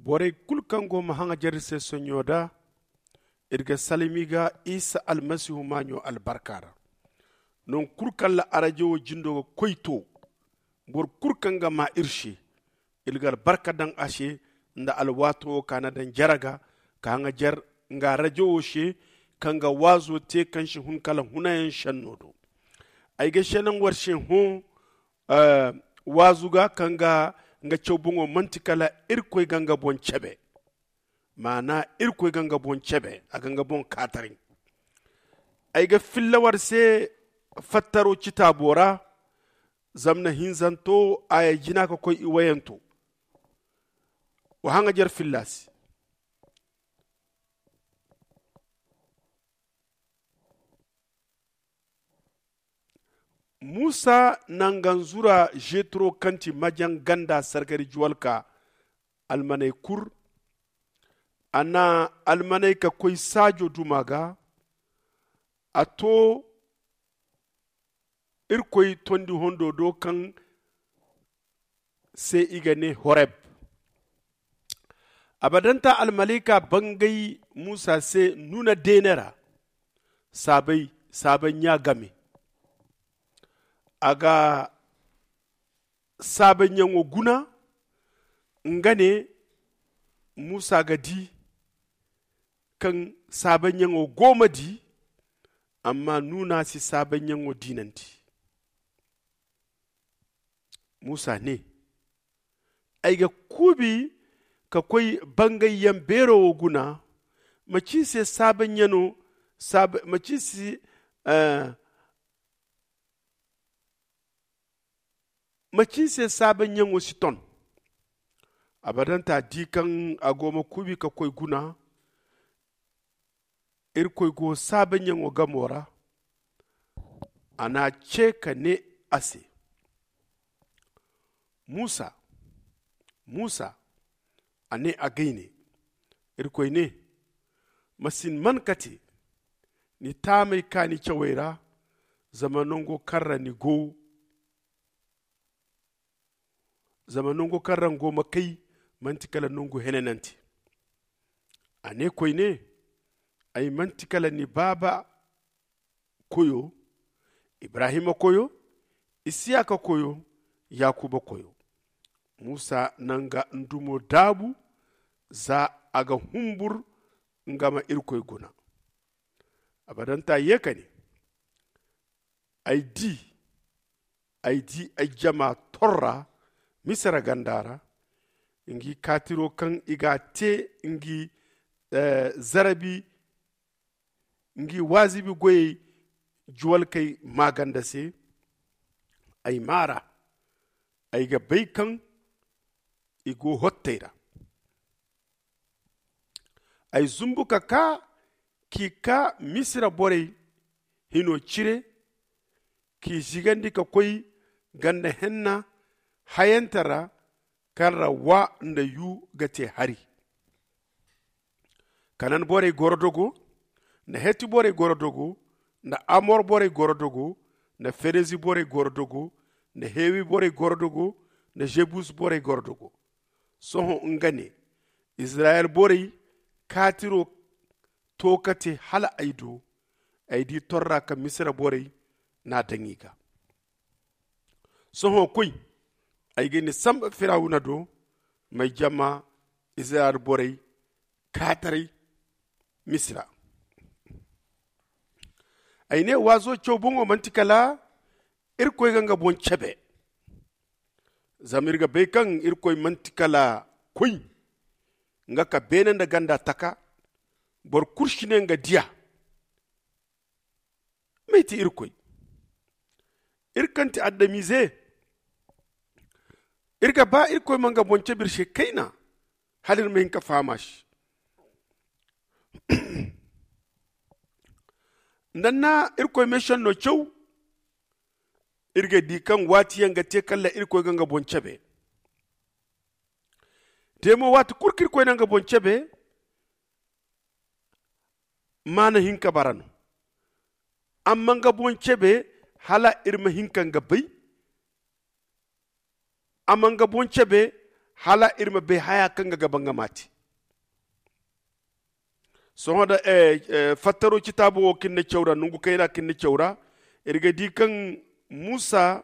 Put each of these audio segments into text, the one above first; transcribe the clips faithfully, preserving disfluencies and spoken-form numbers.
Borey kulu kaŋ go ma haŋajer iri se sonɲo da, iri ga salami ga isa almasihu maaɲo albarka ra. Nangu kulu kaŋ ra arajawo jindo ga koy to, boro kulu kaŋ ga maa iri se, iri ga albarka daŋ a se, nda alwaato wo ka na daŋ jere ga ka haŋajer nga arajawo se, kaŋ ga waazo te kaŋ si hun kala hunayaŋ senno do. Ay ga seenaŋ war se hõ waazu ga kaŋ ga nga caw boŋo manti kala irkoy ga nga boŋ cebe. Maana irkoy ga nga boŋ cebe, a ga nga boŋ kaataray. Ay ga filla war se fattaro citaabo ra, zamna hinzanto a ya jina ka koy i wayanto. Wa haŋajer filla se. Musa na nga nzura jetro kaŋ ti majaŋ ganda sargari juwalka almaney kur. A na almaney ka koy saajo duma ga. A to irkoy tondi hondo do kaŋ se i ga ne horeb. Abadanta almalaika bangay musa se nuna deene ra. Saabay saabay ɲa game. A ga saabanyaŋo guna. Nga ne musa ga di kaŋ saabanyaŋo go ma di. Amma nuna si saabanyaŋo diinandi. Musa ne, ay ga kuubi ka koy bangayyaŋ beero wo guna. Macin se saabanyaŋo macin se saabanyaŋo si ton. Abadanta di kaŋ a go ma kuubi ka koy guna. Irkoy go saabanyaŋo gamo ra. A n'a ce ka ne a se, musa, musa. A ne a gay ne. Irkoy ne, ma si ni man kate ni taamey kaani cawey ra. Zama nango kaŋ ra ni go zama nangu kaŋ ra nga go ma kay manti kala nangu henanante. A ne koyne, ay manti kala ni baaba koyo, ibrahima koyo, isiyaka koyo, yakuba koyo. Musa na nga ndumo daabu za a ga humbur nga ma irkoy guna. Abadanta ye ka ne, ay di ay di ay jama torra misira ganda ra. Ngi kaatiro kaŋ i ga a te ngi zarabi ngi waazibi goyey juwalkey maaganda se. Ay maara ay ga bay kaŋ i go hottey ra. Ay zumbu ka kaa k'i kaa misira borey hino cire, k'i zigandi ka koy ganda henna hayante ra kaŋ ra wa nda yu ga te hari. Kanan borey gorodogo nda heti borey gorodogo nda amor borey gorodogo nda ferezi borey gorodogo nda hewi borey gorodogo nda jebus borey gorodogo. Sohõ nga ne, izirayel borey kaatiro to ka te hala ay do. Ay di torra ka misira borey n'a daŋ i ga. Sohõ koy, ay ga ni samba firawuna do, m'ay jama izirayel borey kaataray misira. Ay ne waazo caw boŋo manti kala irkoy ga nga boŋ cebe. Zama iri ga bay kaŋ irkoy manti kala koy nga ka beene nda ganda taka. Boro kulu si ne nga diya. May ti irkoy? Iri kaŋ ti adamize, iri ga ba irkoy ma nga boŋ cabe iri se kayna hala iri ma hin ka faham a se. Nda ni na irkoy meesenno caw, iri ga di kaŋ waati yaŋ ga te kala irkoy ga nga boŋ cabe. Te mo waati kulu kaŋ irkoy na nga boŋ cabe, maana hinka bara no. Amma nga boŋ cabe hala iri ma hin ka nga bay. Amma nga boŋ cabe hala iri ma bay haya kaŋ ga gaba nga ma te. Sohõ da fattaro citaabo wo kaŋ ni na caw ra nongu kayna kaŋ ni na caw ra, iri ga di kaŋ musa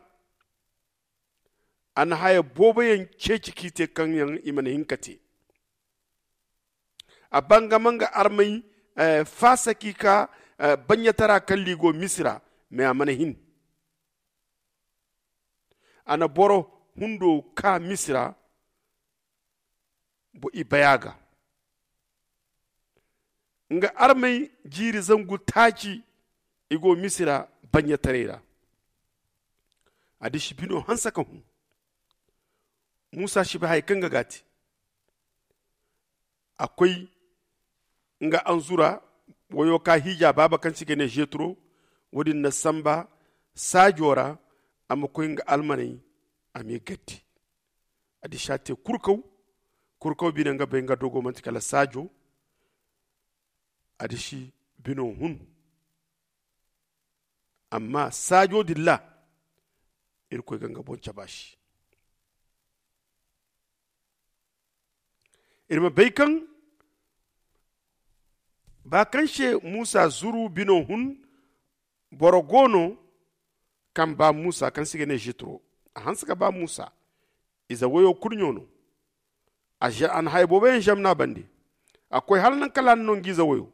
a na haya boobo yaŋ ceeci k'i te kaŋ yaŋ i mana hin ka te. A bangama nga armay faasa k'i ka baɲɲatara kaŋ liigo misira. Mais a mana hin. A na boro hundo ka misira i baya ga nga armay jiiri zangu taaci. I go misira baɲɲataray ra. A disi bino hanse ka hun. Musa si bay haya kaŋ ga ga te. A koy nga anzura wayo ka hiija baaba kaŋ se i ga ne zetro. Wo- din na samba saajo ra a ma koy nga almaney a m'i gaddi. A disi a te kurkaw. Kurkaw bine nga bay nga dogo manti kala saajo. A disi bino hun. Amma saajo din ra irkoy ga nga boŋ cabe a se. Iri ma bay kaŋ ba kaŋ se musa zuru bino hun. Boro go no kaŋ ba musa kaŋ se i ga ne zitro. A hanse ka ba musa. Ize wayo kurɲo no. A na haya boobo yaŋ zamna bande. A koy hala nangu kala a na no nga ize wayo.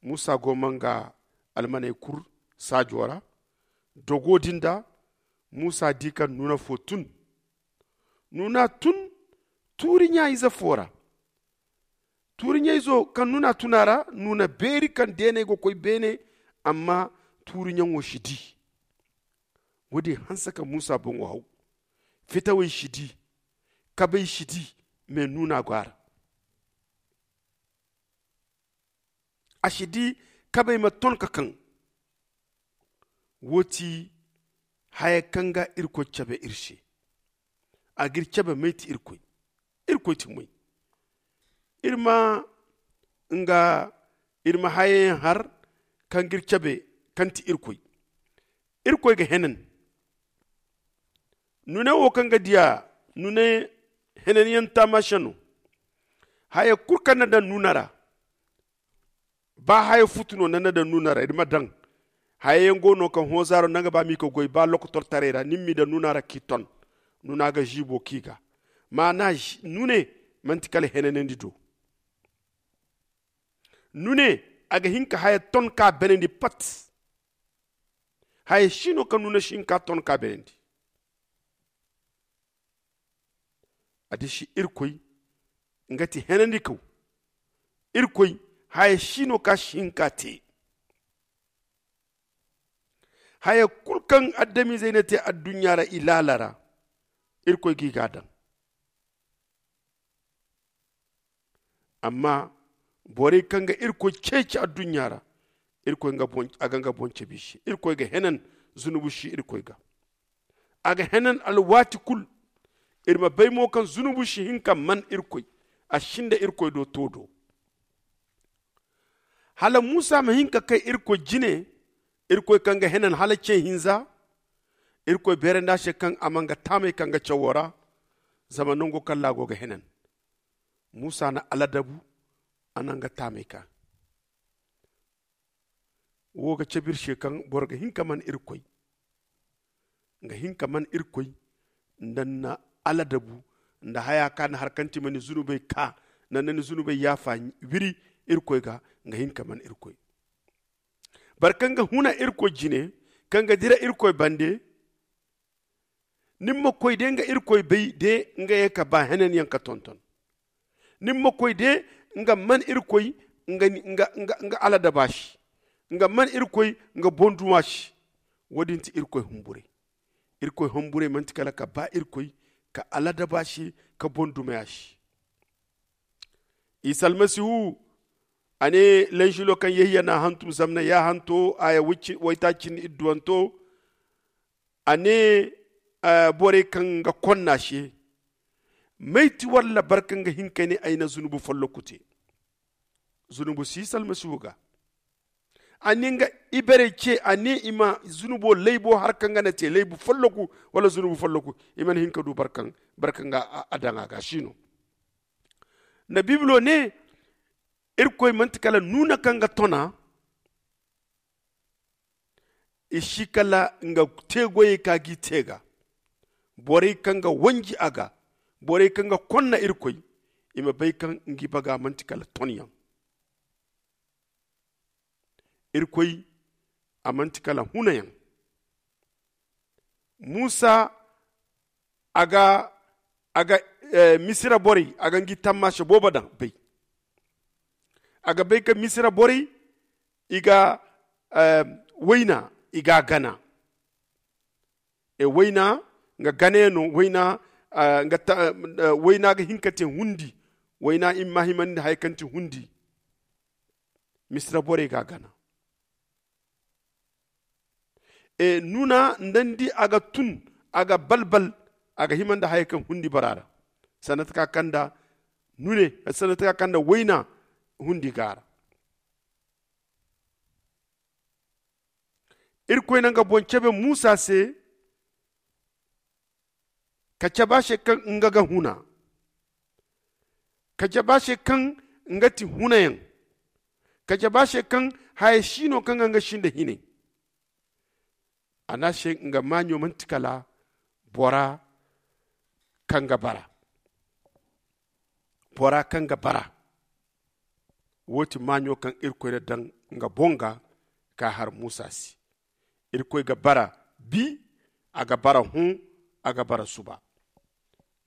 Musa go ma nga almaney kur saajo ra. Dogo din da musa di kaŋ nuuna fo tun. Nuuna tun tuuri ɲa ize fo ra. Tuuri ɲa izo kaŋ nuuna tun a ra nuuna beeri kaŋ deeney ga koy beene. Amma tuuri ɲaŋo si di. Wo- din hanse ka musa boŋo haw. Fitawey si di. Kabey si di. Mais nuuna go a ra. A si di kabey ma ton ka kaŋ. Wo ti haya kaŋ ga irkoy cabe iri se. A ga iri cabe may ti irkoy. Irkoy ti moy. Iri ma nga iri ma haya yaŋ har kaŋ ga iri cabe kaŋ ti irkoy. Irkoy ga henan. Nune wo kaŋ ga diya nune henan yaŋ taamase no. Haya kulu kaŋ na daŋ nuna ra. Ba haya futu no na na daŋ nuna ra iri ma daŋ. Haya yaŋ go no kaŋ hoozaaro naŋ ga ba m'i ka goy ba lokotortaray ra ni m'i daŋ nuna ra k'i ton. Nuna ga ziibo k'i ga maana nune. Manti kala henanandi do. Nune a ga hin ka haya ton ka benandi pat. Haya si no kaŋ nuna si hin ka ton ka benandi. A disi irkoy nga ti henandikaw. Irkoy haya si no ka si hin ka te. Haya kulu kaŋ adamizey na te adduɲɲa ra i laala ra. Irkoy ga i ga a daŋ. Amma borey kaŋ ga irkoy ceeci adduɲɲa ra irkoy a ga nga boŋ cabe i se. Irkoy ga henan zunubu si irkoy ga. A ga henan alwaati kulu. Iri ma bay mo kaŋ zunubu si hin ka man irkoy. A si nda irkoy do to do. Hala musa ma hin ka kay irkoy jine. Irkoy kaŋ ga henan hala ce hinza. Irkoy beerandi a se kaŋ a ma nga taamey kaŋ ga cawo ra. Zama nango kaŋ ra a go ga henan. Musa na aladabu a na nga taamey ka. Wo ga cabe iri se kaŋ boro ga hin ka man irkoy. Nga hin ka man irkoy nda ni na aladabu nda haya ka ni har kaŋ ti ma ni zunubey ka nda ni zunubey yaafa wiri irkoy ga. Nga hin ka man irkoy. Boro kaŋ ga huna irkoy jine kaŋ ga dira irkoy bande. Ni ma koy de nga irkoy bay de nga ye ka ba henanyaŋ ka tonton. Ni ma koy de nga man irkoy nga aladaba se. Nga man irkoy nga bonduma se. Wo- din ti irkoy humburey. Irkoy humburey manti kala ka ba irkoy ka aladaba se ka bondumaya se. Isa almasihu a ne lanzilo kaŋ yehiya n'a hantum zamna ya hanto aya waytaaci cindi idduwanto. A ne borey kaŋ ga konna se. May ti walla barka nga hin ka ne ay na zunubu folloku te. Zunubu si isa almasihu ga. A ne nga Iberey ce a ne i ma zunubo laybo har kaŋ ga na te laybu folloku wala zunubu folloku. I mana hin ka du barkaŋ barkaŋ ga a daŋ a ga si no. Na bibilo ne irkoy manti kala nuna kaŋ ga tona. I si kala nga teegoyey ka gi te ga borey kaŋ ga wanji a ga, borey kaŋ ga konna irkoy, i ma bay kaŋ ngi baga manti kala tonyaŋ. Irkoy a manti kala hunayaŋ. Musa a ga a ga misira borey a ga ngi tammaasa boobo daŋ bay. A ga bay ka misira borey i ga wayna i ga a gana. E wayna nga gana yaŋ no wayna ga hin ka te hundi. Wayna i ma himandi haya kaŋ ti hundi. Misira borey ga a gana. E nuna nda ni di a ga tun a ga balbal. A ga hima nda haya kaŋ hundi bara ra. Sanda taka kaŋ nda nune sanda taka kaŋ nda wayna hundi ga a ra. Irkoy na nga boŋ cabe musa se ka cabe a se kaŋ nga ga huna. Ka cabe a se kaŋ nga ti hunayaŋ. Ka cabe a se kaŋ haya si no kaŋ ga nga si nda hinay. A ne a se nga maaɲo manti kala bora kaŋ ga bara. Bora kaŋ ga bara. Wo ti maaɲo kaŋ irkoy na daŋ nga boŋ ga ka har musa se. Irkoy ga bara bi, a ga bara hõ, a ga bara suba.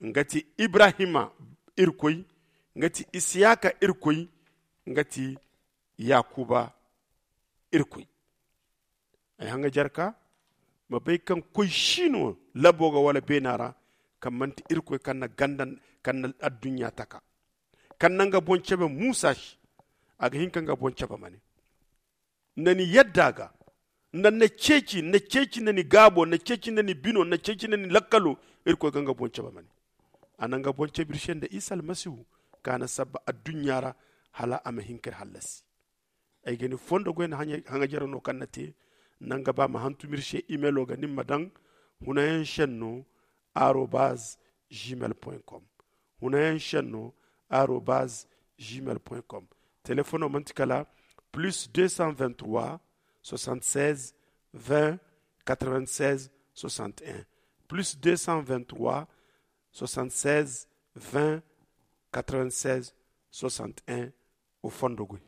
Nga ti ibrahima irkoy, nga ti isiyaka irkoy, nga ti yakuba irkoy. Ay haŋa jarka ma bay kaŋ koy si no labo ga wala beena ra. Kaŋ manti irkoy kaŋ na ganda kaŋ na adduɲɲa taka kaŋ na nga boŋ cabe musa se. A ga hin ka nga boŋ cabe ma ne nda ni yadda ga nda ni na ceeci ni na ceeci nda ni gaabo ni na ceeci nda ni bino ni na ceeci nda ni lakkalo. Irkoy ga nga boŋ cabe ma ne a na nga boŋ cabe iri se nda isa almasihu kaŋ a na sabba adduɲɲa ra hala a ma hin ka iri hallasi. Ay ga ni fondo goy nda haŋa jare no kaŋ na te nda nga ba ma hantum iri se imelo ga ni ma daŋ hunayaŋ senno arobaz gmail point com. Hunayaŋ senno arobaz gmail point com. Telefono manti kala plus deux cent vingt-trois soixante-seize vingt quatre-vingt-seize soixante-un. Plus deux cent vingt-trois soixante-seize vingt quatre-vingt-seize soixante-un. O fondo goy.